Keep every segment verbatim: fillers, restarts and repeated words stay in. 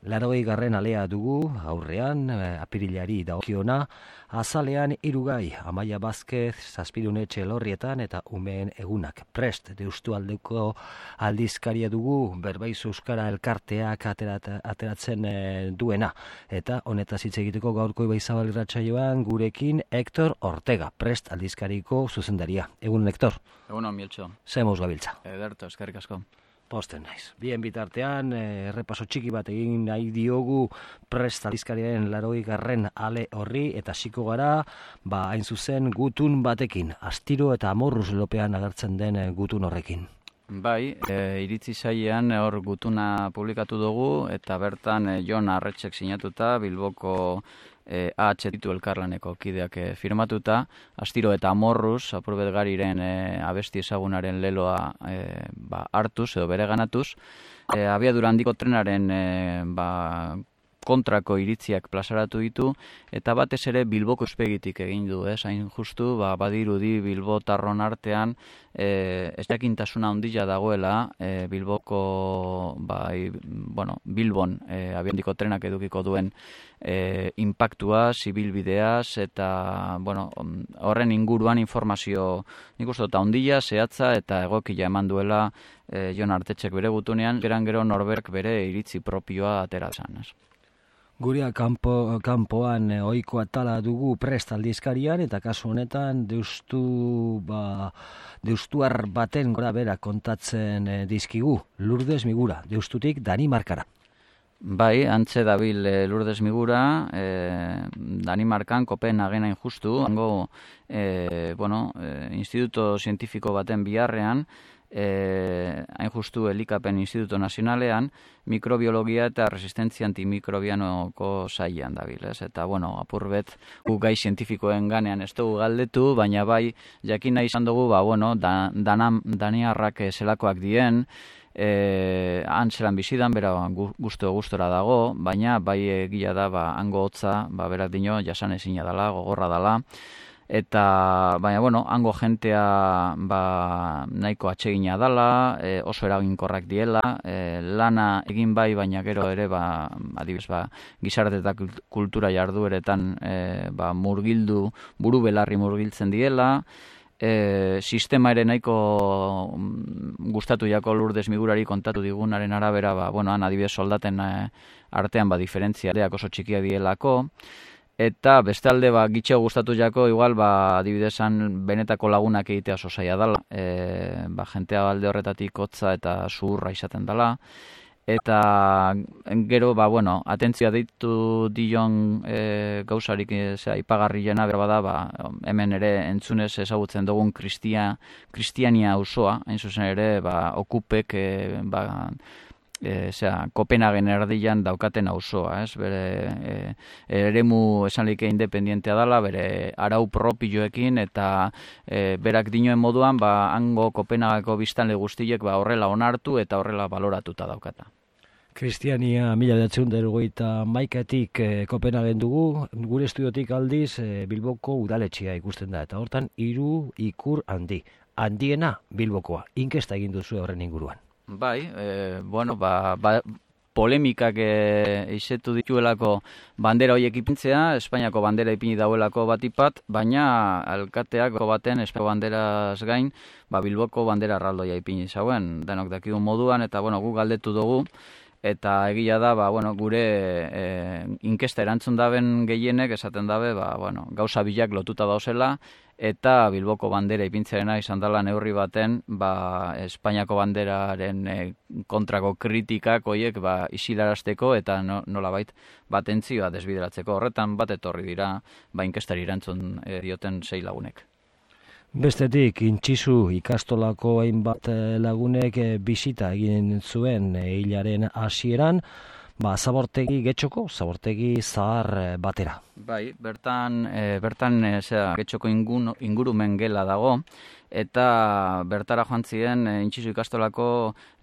Larogei garren alea dugu, aurrean, apirilari dagokiona, azalean irugai, Amaia Bazkez, Zazpidune Txelorrietan eta umeen egunak. Prest, deustu aldeko aldizkaria dugu, Berbaiz Euskara elkarteak aterat, ateratzen e, duena. Eta honetaz hitz egiteko gaurko Ibaizabal irratsaioan gurekin Hector Ortega, Prest aldizkariko zuzendaria. Egun, Hector. Egun on, Mieltxo. Zemuz gabiltza. Ederto, eskerrik asko. Posten naiz. Bien bitartean, errepaso txiki bat egin nahi diogu Prest aldizkariaren larogei garren ale horri, eta hasiko gara, ba, hain zuzen gutun batekin, astiro eta amorruz lopean agertzen den gutun horrekin. Bai, e, iritzi sailean hor gutuna publikatu dugu, eta bertan e, Jon Arretxek sinatuta, Bilboko E, A H ditu elkarlaneko kideak e, firmatuta, astiro eta amorruz, Apurbet Gariren e, abesti ezagunaren leloa e, ba, hartuz edo bereganatuz, e, abiadura handiko trenaren e, ba, kontrako iritziak plazaratu ditu, eta batez ere Bilboko espegitik egin du, ez? Hain justu, ba, badirudi Bilbotarron artean e, ez jakintasuna handia dagoela e, Bilboko, ba, i, bueno, Bilbon e, abiadura trenak edukiko duen e, impactua, zibilbideaz, eta bueno, horren inguruan informazio nik uste dut handia, zehatza eta egokia eman duela e, Jon Artetxek bere gutunean, geran gero norberk bere iritzi propioa ateratzen, ez? Gurea kanpo, kanpoan ohiko atala dugu Prest aldizkarian, eta kasu honetan deustu, ba, deustuar baten gora bera kontatzen e, dizkigu, Lourdes Migura, deustutik Danimarkara. Bai, antze dabil e, Lourdes Migura, e, Danimarkan, Kopenhagen hain justu, hango e, bueno, e, instituto zientifiko baten biharrean, Eh, hain justu Elikapen Instituto Nazionalean, mikrobiologia eta resistentzia antimikrobianoko sailean dabil, ez? Eta, bueno, apurbet, gu gai zientifikoen ganean ez dugu galdetu, baina bai, jakin nahi izan dugu, ba, bueno, da, danam, daniarrak zelakoak dien, eh, han zelan bizidan, bera gusto-gustora dago, baina bai egia da, ba, hango hotza, ba, berak dino, jasan ezina dala, gogorra dala, eta, baina, bueno, hango jentea ba, nahiko atsegina dala, e, oso eraginkorrak diela, e, lana egin bai, baina gero ere, ba, adibidez, ba, gizarte eta kultura jardueretan e, ba, murgildu, buru belarri murgiltzen diela, e, sistema ere nahiko gustatu jako Lourdes Migurari kontatu digunaren arabera, ba, bueno, han adibidez soldaten e, artean ba, diferentzia oso txikia dielako, eta bestalde ba, gitxeo gustatu jako, igual, ba, adibidezan benetako lagunak egitea oso zaila dela. E, ba, jentea alde horretatik hotza eta zuhurra izaten dela. Eta gero, ba, bueno, atentzioa deitu dion e, gauzarik e, ipagarriena berba da, ba, hemen ere entzunez ezagutzen dugun kristia, kristiania auzoa, hain zuzen ere, ba, okupek, e, ba, E, zera, Kopenhagen erdian daukaten auzoa, ez? Bere e, eremu esanlike independientea dela, bere arau propioekin, eta e, berak dinoen moduan, ba, hango Kopenhageko biztanle guztiek ba, horrela onartu eta horrela baloratuta daukata. Kristiania mila bederatziehun eta hirurogeita hamaikatik e, Kopenhagen dugu, gure estudiotik aldiz e, Bilboko udaletxea ikusten da, eta hortan hiru ikur handi, handiena Bilbokoa, inkesta egin duzu horren inguruan. Bai, e, bueno, ba, ba, polemikak e, izetu dituelako bandera horiek ipintzea, Espainiako bandera ipini dauelako batipat, baina alkateak baten Espainiako banderaz gain, ba, Bilboko bandera erraldoia ipini zauen, denok dakigun moduan, eta bueno, gu galdetu dugu, eta egia da, ba, bueno, gure e, inkesta erantzun daben gehienek esaten dabe, ba, bueno, gauza bilak lotuta dauzela, eta Bilboko bandera ipintzearena izan dela neurri baten, ba, Espainiako banderaren e, kontrako kritikak hoiek ba, isilarazteko eta no, nolabait batentzioa desbideratzeko. Horretan bat etorri dira, ba, inkestari erantzun e, dioten sei lagunek. Bestetik, Intxizu ikastolako hainbat lagunek bisita egin zuen hilaren hasieran, ba, zabortegi getxoko, zabortegi zahar batera. Bai, bertan, e, bertan e, zera, getxoko ingun, ingurumen gela dago, eta bertara joan ziren e, Intxizu ikastolako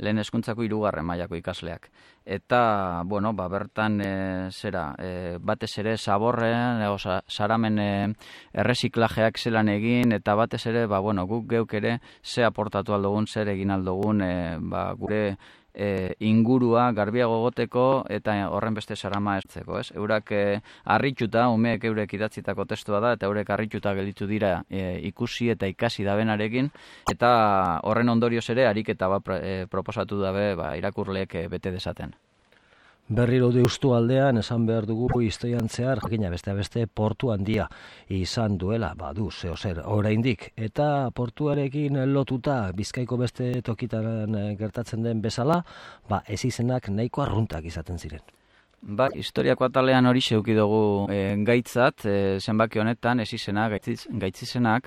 lehen hezkuntzako hirugarren mailako ikasleak. Eta, bueno, ba, bertan e, zera, e, batez ere zaborren, e, oza, saramen e, erreziklajeak zelan egin, eta batez ere, ba, bueno, guk geuk ere ze aportatu aldogun, zer egin aldogun, e, ba, gure e, ingurua garbiago goteko eta horren beste sarama eztzeko, ez? Eurak e, harrituta, umeek eurek idatzitako testua da, eta eurek harrituta gelditu dira e, ikusi eta ikasi dabenarekin, eta horren ondorioz ere ariketa bat e, proposatu dabe ba, irakurleek e, bete desaten. Berriro deustu aldean esan behar dugu historian zehar, jakina beste beste portu handia izan duela, badu, zeo zer, oraindik. Eta portuarekin lotuta Bizkaiko beste tokitan gertatzen den bezala, ba, ez izenak nahiko arruntak izaten ziren. Ba, historiako atalean hori zeuki dugu e, gaitzat, e, zenbaki honetan, ez izena, gaitziz, gaitzizenak,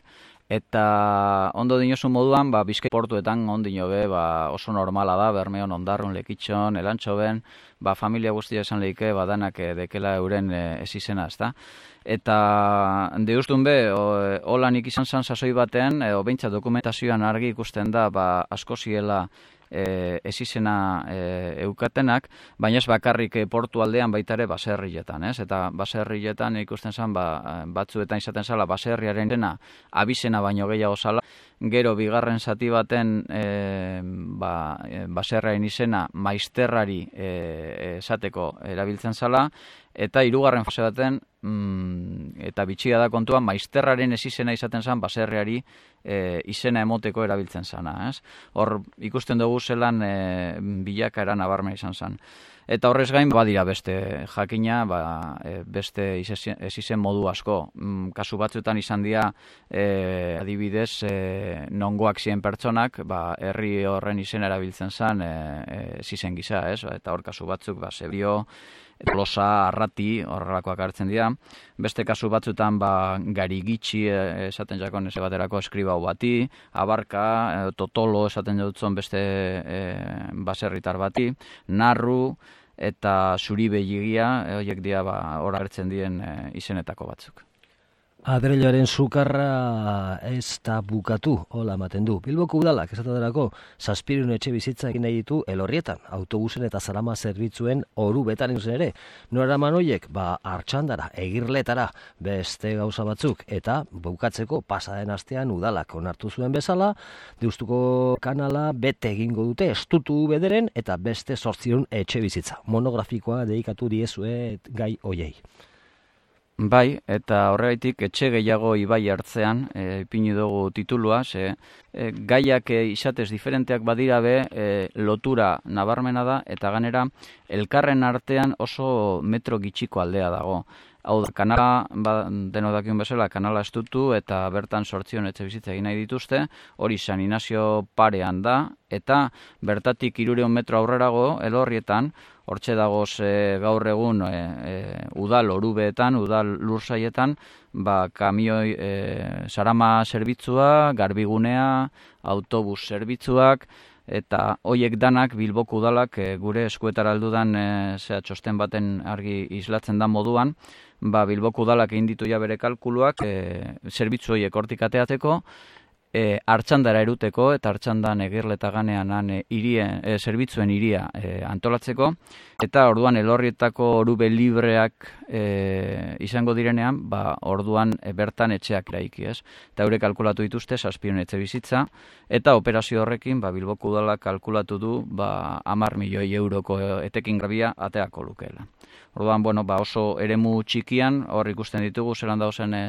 eta ondo dinosu moduan, ba, Bizkai portuetan ondino be, ba, oso normala da, Bermeon, Ondarrun, Lekitxon, Elantxoben, ba, familia guztia esan lehike, ba, danak e, dekela euren e, ez izena, ezta? Eta deustun be, holanik izan zan sasoi batean, e, behintzat dokumentazioan argi ikusten da, ba, asko ziela E, ez izena e, eukatenak, baina ez bakarrik e, portu aldean baita ere baserrietan, ez? Eta baserrietan ikusten zen, ba, batzuetan izaten zala baserriaren dena abizena baino gehiago zala, gero bigarren zati baten e, ba, e, baserriaren izena maizterrari e, esateko erabiltzen zala, eta hirugarren fase baten, mm, eta bitxia da kontua, maizterraren ez izena izaten zen baserriari e, izena emoteko erabiltzen zana. Ez? Hor ikusten dugu zelan e, bilakaera nabarmena izan zen. Eta horrez gain, badira beste jakina, ba, e, beste ez izen modu asko. Mm, kasu batzuetan izan dira, e, adibidez, e, nongoak ziren pertsonak, ba, herri horren izena erabiltzen zen e, e, ez izen gisa, ez? Eta hor kasu batzuk, ba, Zebio, Plosa, Arrati, horrelakoak hartzen dira. Beste kasu batzutan ba, Garigitxi esaten jakon ez baterako eskribau bati, Abarka, e, Totolo esaten dutzen beste e, baserritar bati, Narru eta Zuribegigia, e, horiek dira ba, hor hartzen diren e, izenetako batzuk. Adreiloaren sukarra ez da bukatu, hola ematen du. Bilboko udalak esataderako zazpirun etxe bizitza egin nahi ditu Elorrietan, autobusen eta zarama zerbitzuen oru betan zen ere. Nora manoiek, ba, Artxandara, Egirletara, beste gauza batzuk, eta bukatzeko pasaden astean udalak onartu zuen bezala, Deustuko kanala bete egingo dute estutu bederen eta beste zortzion etxe bizitza. Monografikoa dedikatu diezue gai hoiei. Bai, eta horregaitik etxe gehiago ibai hartzean, e, ipini dugu titulua, ze e, gaiak e, izatez diferenteak badira be, e, lotura nabarmena da, eta ganera elkarren artean oso metro gitxiko aldea dago. Hau da, kanala, ba, deno dakion bezala, kanala estutu eta bertan sortzion etxe bizitza egin nahi dituzte, hori San Inazio parean da, eta bertatik hirureun metro aurrerago, Elorrietan, hortxe dagoz e, gaur egun e, e, udal orubeetan, udal lursaietan, ba, kamioi e, sarama zerbitzua, garbigunea, autobus zerbitzuak, eta hoiek danak Bilboko udalak e, gure eskuetara aldudan e, zera txosten baten argi islatzen da moduan, ba, Bilboko udalak egin ditu ja bere kalkuluak e, zerbitzu horiek hortik ateatzeko, E, Artxandara eruteko eta Artxandan Egirleta ganean e, irien, e, zerbitzuen iria e, antolatzeko, eta orduan Elorrietako orube libreak e, izango direnean, ba, orduan e, bertan etxeak eraiki, ez? Eta hauek kalkulatu dituzte zazpion etxe bizitza, eta operazio horrekin ba, Bilboko udalak kalkulatu du ba, hamar milioi euroko etekin grabia ateako lukeela. Orduan, bueno, ba, oso eremu txikian, hor ikusten ditugu, zelan dauzen e,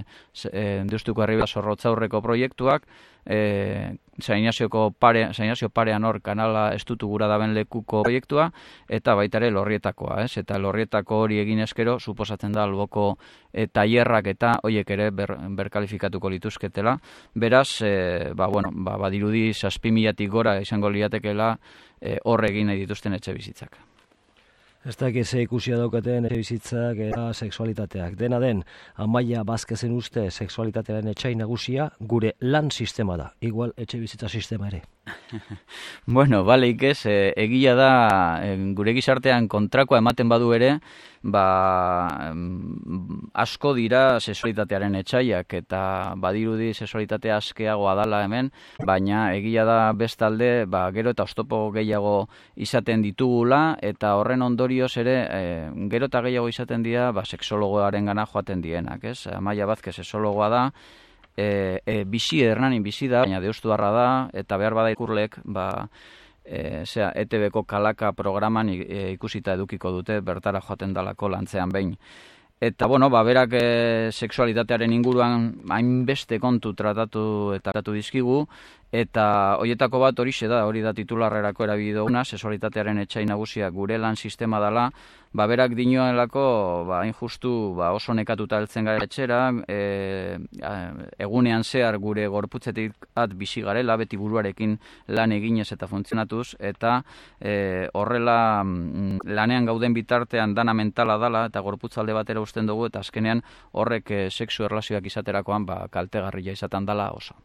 e, Deustuko Arriba Zorrotzaurreko proiektuak, e, San Inazio pare, parean hor kanala estutu gura daben lekuko proiektua, eta baita ere Elorrietakoa, ez? Eta Elorrietako hori egin eskero, suposatzen da alboko e, tailerrak eta hoiek ere ber, berkalifikatuko lituzketela. Beraz, e, ba, bueno, ba, badirudi zazpi milatik gora izango liatekela e, hor egin nahi dituzten etxe bizitzak. Ez dakiz ikusia daukaten etxe bizitzak eta sexualitateak. Dena den, Amaia Bazkezen uste sexualitatearen etxai nagusia gure lan sistema da. Igual etxe bizitza sistema ere. Bueno, baleik ez, e, egia da e, gure gizartean kontrakoa ematen badu ere, ba, asko dira sexualitatearen etxaiak eta badirudi sexualitatea askeagoa dala hemen, baina egia da bestalde, ba, gero eta oztopo gehiago izaten ditugula eta horren ondorioz ere e, gero eta gehiago izaten dira ba, sexologoaren gana joaten dienak, ez? Amaia Bazkez sexologoa da, E, e, bizi, Hernanin bizi da, baina deustuarra da, eta behar bada ikurlek, ba, e, zera, E T B-ko kalaka programan e, ikusita edukiko dute, bertara joaten dalako lantzean behin. Eta, bueno, ba, berak e, sexualitatearen inguruan hainbeste kontu tratatu eta tratatu dizkigu, eta horietako bat horixe da, hori da titularrerako erabili duguna, sexualitatearen etsai nagusia gure lan sistema dela, ba, berak dinoelako, ba, hain justu, ba, oso nekatuta heltzen gara etxera, e, egunean zehar gure gorputzetik at bizi garela, beti buruarekin lan eginez eta funtzionatuz, eta e, horrela mm, lanean gauden bitartean dana mentala dala, eta gorputzalde batera usten dugu, eta azkenean horrek e, sexu erlazioak izaterakoan ba, kaltegarria izaten dala oso.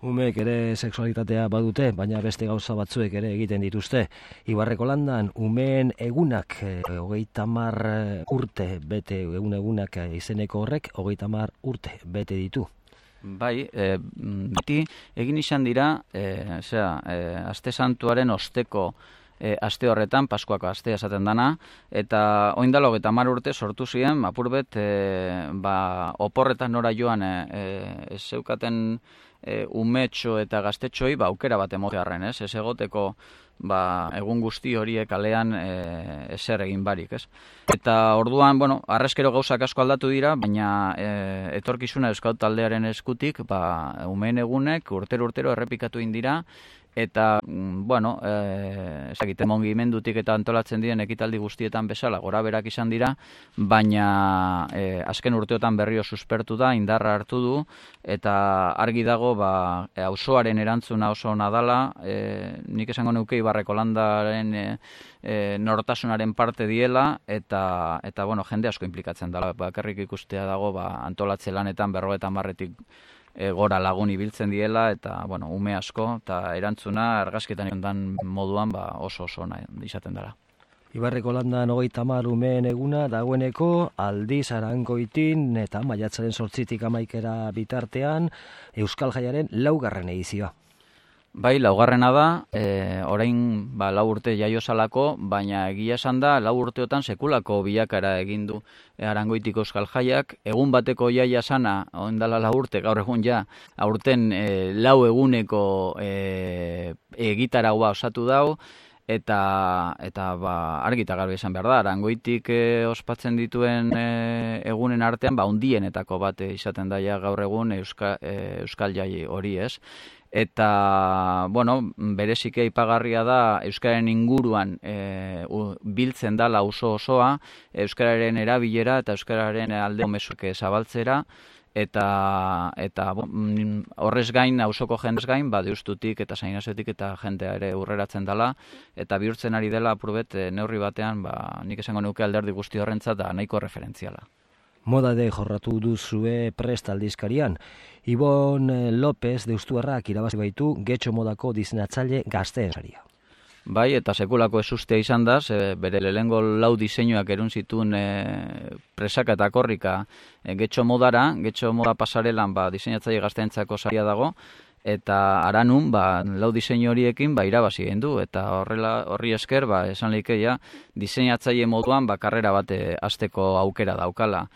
Umeek ere sexualitatea badute, baina beste gauza batzuek ere egiten dituzte. Ibarreko Landan, umeen egunak, e, hogeita hamar urte bete, egun egunak izeneko horrek, hogeita hamar urte bete ditu. Bai, e, beti egin izan dira, e, zera, e, aste santuaren osteko e, aste horretan, Paskuako astea esaten dana, eta oindalo hogeita hamar urte sortu ziren, apurbet, e, ba, oporretan nora joan, e, e, zeukaten E, umetxo eta gaztetxoi ba, aukera bat emotearren, ez? Ez egoteko ba, egun guzti horiek kalean e, ezer egin barik, ez? Eta orduan, bueno, arrezkero gauzak asko aldatu dira, baina e, etorkizuna Euskal Taldearen eskutik, ba, umeen egunek urtero-urtero errepikatu indira, eta, bueno, e, ezagite mugimendutik eta antolatzen diren ekitaldi guztietan bezala, gora berak izan dira, baina e, azken urteotan berrio suspertu da, indarra hartu du, eta argi dago, ba, auzoaren erantzuna oso ona dala, e, nik esango nuke Ibarreko Landaren e, e, nortasunaren parte diela, eta, eta bueno, jende asko implikatzen dela, bakarrik ikustea dago, ba, antolatze lanetan berrogeita hamarretik E, gora lagun ibiltzen diela, eta, bueno, ume asko, eta erantzuna argazketan ondan moduan ba, oso oso nahi izaten dela. Ibarreko Landan hogeita hamar umeen eguna dagoeneko Aldiz Arangoitin eta maiatzaren zortzitik hamaikera bitartean Euskal Jaiaren laugarren edizioa. Bai, laugarrena da, e, orain ba, lau urte jaiozalako, baina egia esan da, lau urteotan sekulako bilakara egin du Arangoitiko Euskal Jaiak, egun bateko jaia sana, ondala lau urte, gaur egun ja, aurten e, lau eguneko e, egitaragua osatu dau, eta eta ba, argi eta garbi esan behar da, Arangoitik e, ospatzen dituen e, egunen artean, ba, hundienetako bat izaten daia gaur egun Euska, e, Euskal Jai hori, ez? Eta, bueno, bereziki aipagarria da Euskararen inguruan e, u, biltzen dala auzo osoa, Euskararen erabilera eta Euskararen alde mezuak zabaltzera, eta, eta bo, horrez gain, auzoko jendez gain, ba, deustutik eta zainazetik eta jendea ere urreratzen dela, eta bihurtzen ari dela apurbet e, neurri batean, ba, nik esango nuke alderdi guzti horrentzat da nahiko referentziala. Modade jorratu duzue Prest aldizkarian. Ibon López deustuarrak irabazi baitu Getxo modako diseinatzaile gazteen saria. Bai, eta sekulako ezustea izan da, ze bere lehengo lau diseinuak erun zituen e, presaka eta korrika e, Getxo modara, Getxo moda pasarelan ba, diseinatzaile gazteentzako saria dago, eta Aranun ba, lau diseinu horiekin ba, irabazi egin du, eta horrela horri esker, ba, esan leikeia, diseinatzaile moduan ba, karrera bat e, hasteko aukera daukala.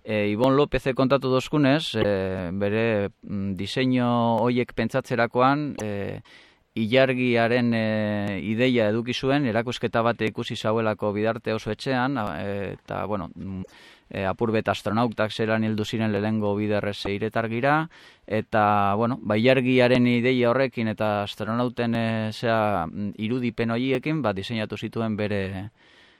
E, Ibon López kontatu dozkunez, e, bere mm, diseinu horiek pentsatzerakoan, e, ilargiaren e, ideia eduki zuen, erakusketa bat ikusi zauelako bidarte oso etxean, e, eta, bueno, e, apurbet astronautak zelan hildu ziren lehengo biderrez eiretargira, eta, bueno, ba, ilargiaren ideia horrekin eta astronauten e, zera, irudipen horiekin, ba, diseinatu zituen bere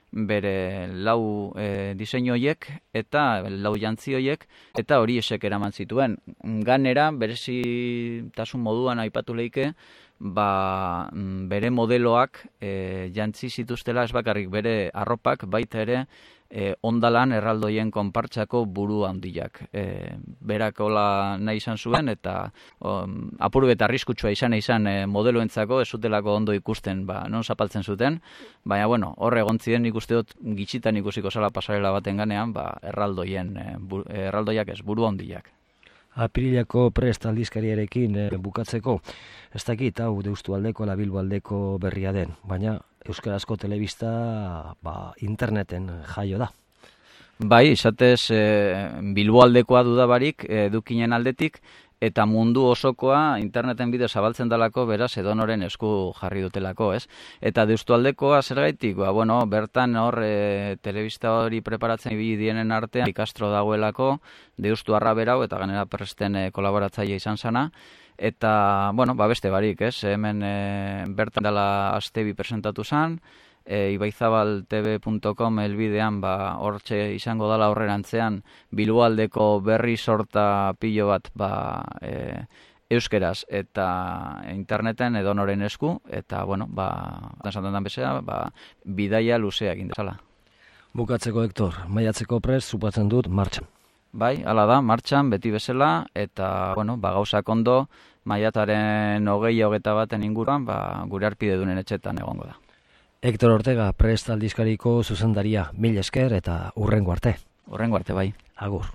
bere lau e, diseinu horiek eta lau jantzi horiek eta hori esek eraman zituen. Ganera, berezitasun moduan aipatu leike, ba, bere modeloak e, jantzi zituztela ez bakarrik bere arropak, baita ere e, ondalan erraldoien konpartsako buru handiak. E, berak hola nahi izan zuen eta um, apurbet arriskutsua izan izan e, modeloentzako ez zutelako ondo ikusten ba, non zapaltzen zuten, baina bueno, horre egon ziren ikuste dut gitxitan ikusiko zala pasarela baten ganean ba, erraldoien, e, bu, erraldoiak ez, buru handiak. Apirilako Prest aldizkariarekin e, bukatzeko, ez dakit hau Deustualdeko ala Bilboaldeko berria den, baina euskarazko telebista ba, interneten jaio da. Bai, izatez e, Bilboaldekoa dudabarik edukinen aldetik, eta mundu osokoa interneten bidez zabaltzen dalako, beraz edonoren esku jarri dutelako, ez? Eta Deustualdekoa zergaitik, ba, bueno, bertan hor e, telebista hori preparatzen ibili dienen artean Castro dagoelako, Deustuarra berau eta gainera Presten e, kolaboratzaile izan zana, eta, bueno, ba beste barik, ez? Hemen e, bertan dela Astebi presentatu zan, e, ibaizabaltv punto com elbidean ba hortxe izango dala horrerantzean Bilboaldeko berri sorta pilo bat ba e, euskeraz eta interneten edonoren esku eta bueno, ba esaten den bezala, ba bidaia luzea egin dezala. Bukatzeko Hector, maiatzeko prest supatzen dut martxan. Bai, hala da, martxan beti bezala eta bueno, ba gauzak ondo maiataren hogei hogeita baten inguruan ba gure arpidedunen etxetan egongo da. Hector Ortega, Prest aldizkariko zuzendaria, mil esker eta hurrengo arte. Hurrengo arte, bai. Agur.